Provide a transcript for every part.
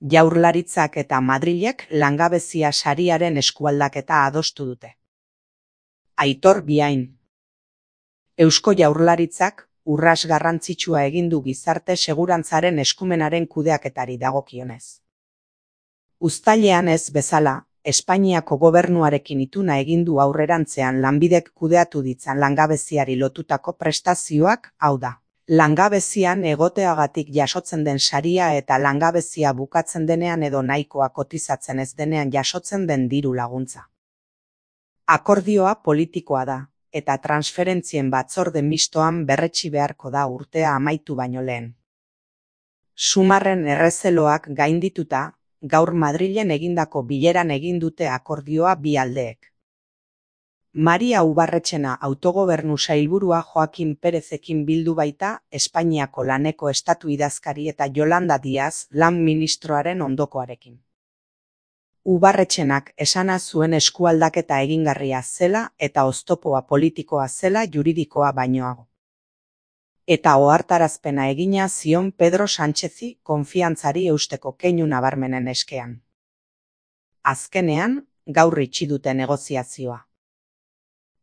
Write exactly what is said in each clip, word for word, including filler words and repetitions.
Jaurlaritzak eta Madrilek langabezia sariaren eskualdaketa adostu dute. Aitor Biain. Eusko Jaurlaritzak urrats garrantzitsua egin du gizarte segurantzaren eskumenaren kudeaketari dagokionez. Uztailean ez bezala, Espainiako gobernuarekin ituna egin du aurrerantzean Lanbidek kudeatu ditzan langabeziari lotutako prestazioak, hau da, langabezian egoteagatik jasotzen den saria eta langabezia bukatzen denean edo nahikoa kotizatzen ez denean jasotzen den diru laguntza. Akordioa politikoa da, eta transferentzien batzorde mistoan berretsi beharko da urtea amaitu baino lehen. Sumarren errezeloak gaindituta, gaur Madrilen egindako bileran egin dute akordioa bi aldeek. Maria Ubarretxena autogobernu sailburua Joaquin Perezekin bildu baita Espainiako laneko estatu idazkari eta Yolanda Díaz lan ministroaren ondokoarekin. Ubarretxenak esana zuen eskualdaketa egingarria zela eta oztopoa politikoa zela juridikoa bainoago. Eta ohartarazpena egina zion Pedro Sánchezi konfiantzari eusteko keinu nabarmenen eskean. Azkenean, gaur itxi dute negoziazioa.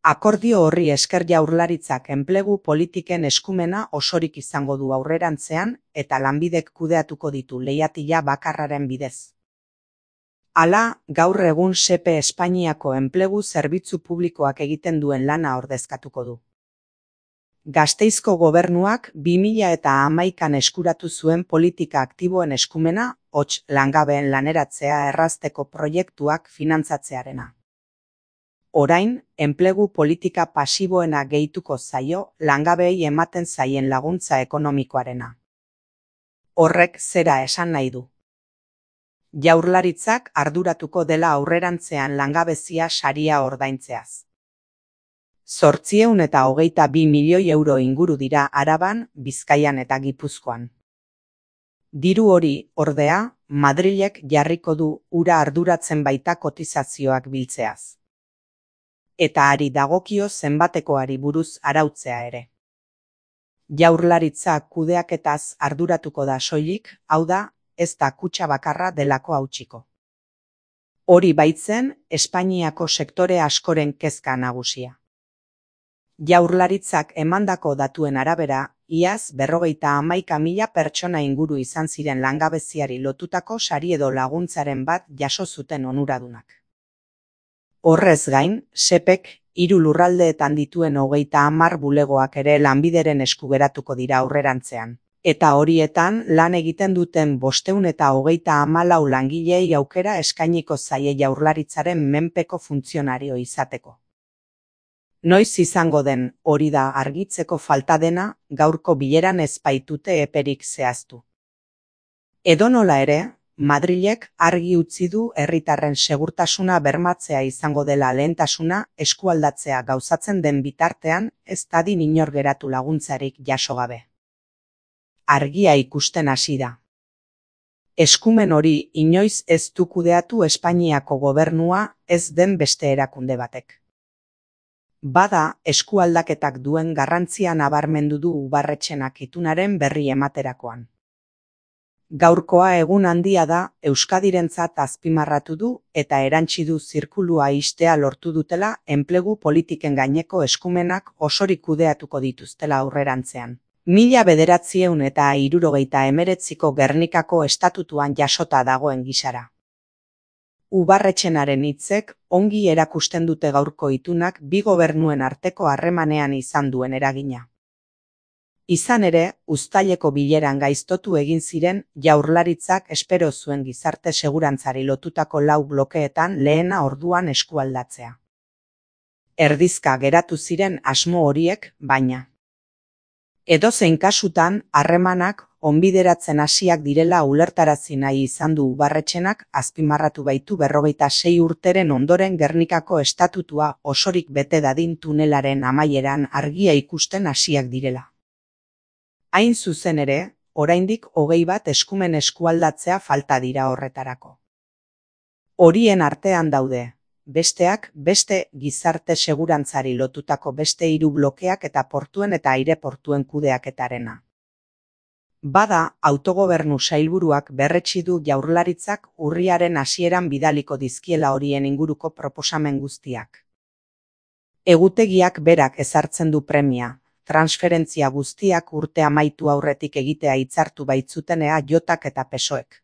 Akordio horri esker Jaurlaritzak enplegu politiken eskumena osorik izango du aurrerantzean eta Lanbidek kudeatuko ditu leihatila bakarraren bidez. Hala, gaur egun Sepe Espainiako enplegu zerbitzu publikoak egiten duen lana ordezkatuko du. Gasteizko gobernuak bi mila hamaikan eskuratu zuen politika aktiboen eskumena, hots langabeen laneratzea errazteko proiektuak finantzatzearena. Orain, enplegu politika pasiboena gehituko zaio langabeei ematen zaien laguntza ekonomikoarena. Horrek zera esan nahi du. Jaurlaritzak arduratuko dela aurrerantzean langabezia saria ordaintzeaz. Zortziehun eta hogeita bi milioi euro inguru dira Araban, Bizkaian eta Gipuzkoan. Diru hori, ordea, Madrilek jarriko du ura arduratzen baita kotizazioak biltzeaz. Eta ari dagokio zenbatekoari buruz arautzea ere. Jaurlaritzak kudeaketaz arduratuko da soilik, hau da, ez da kutxa bakarra delako hautsiko. Hori baitzen, Espainiako sektore askoren kezka nagusia. Jaurlaritzak emandako datuen arabera, iaz berrogeita hamaika mila pertsona inguru izan ziren langabeziari lotutako sari edo laguntzaren bat jaso zuten onuradunak. Horrez gain, Sepek hiru lurraldeetan dituen hogeita hamar bulegoak ere Lanbideren esku geratuko dira aurrerantzean. Eta horietan lan egiten duten bostehun eta hogeita hamalau langileei aukera eskainiko zaie Jaurlaritzaren menpeko funtzionario izateko. Noiz izango den hori da argitzeko falta dena gaurko bileran ez baitute eperik zehaztu. Edonola ere, Madrilek argi utzi du herritarren segurtasuna bermatzea izango dela lehentasuna eskualdatzea gauzatzen den bitartean ez dadin inor geratu laguntzarik jaso gabe. Argia ikusten hasi da. Eskumen hori inoiz ez du kudeatu Espainiako gobernua ez den beste erakunde batek. Bada, eskualdaketak duen garrantzia nabarmendu du Ubarretxenak itunaren berri ematerakoan. Gaurkoa egun handia da Euskadirentzat azpimarratu du eta erantsi du zirkulua ixtea lortu dutela enplegu politiken gaineko eskumenak osorik kudeatuko dituztela aurrerantzean. Mila bederatziehun eta hirurogeita hemeretziko Gernikako estatutuan jasota dagoen gisara. Ubarretxenaren hitzek ongi erakusten dute gaurko itunak bi gobernuen arteko harremanean izan duen eragina. Izan ere, uztaileko bileran gaiztotu egin ziren Jaurlaritzak espero zuen gizarte segurantzari lotutako lau blokeetan lehena orduan eskualdatzea. Erdizka geratu ziren asmo horiek, baina. Edozein kasutan, harremanak onbideratzen hasiak direla ulertarazi nahi izan du Ubarretxenak azpimarratu baitu berrogeita sei urteren ondoren Gernikako estatutua osorik bete dadin tunelaren amaieran argia ikusten hasiak direla. Hain zuzen ere, oraindik hogei bat eskumen eskualdatzea falta dira horretarako. Horien artean daude, besteak beste gizarte segurantzari lotutako beste hiru blokeak eta portuen eta aireportuen kudeaketarena. Bada, autogobernu sailburuak berretsi du Jaurlaritzak urriaren hasieran bidaliko dizkiela horien inguruko proposamen guztiak. Egutegiak berak ezartzen du premia, transferentzia guztiak urte amaitu aurretik egitea hitzartu baitzuten E A Jak eta P S O Ek.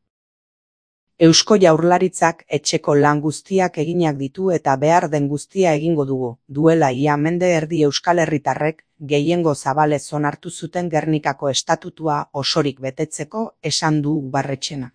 Eusko Jaurlaritzak etxeko lan guztiak eginak ditu eta behar den guztia egingo dugu, duela ia mende erdi euskal herritarrek gehiengo zabalez onartu zuten Gernikako estatutua osorik betetzeko esan du Barretxena.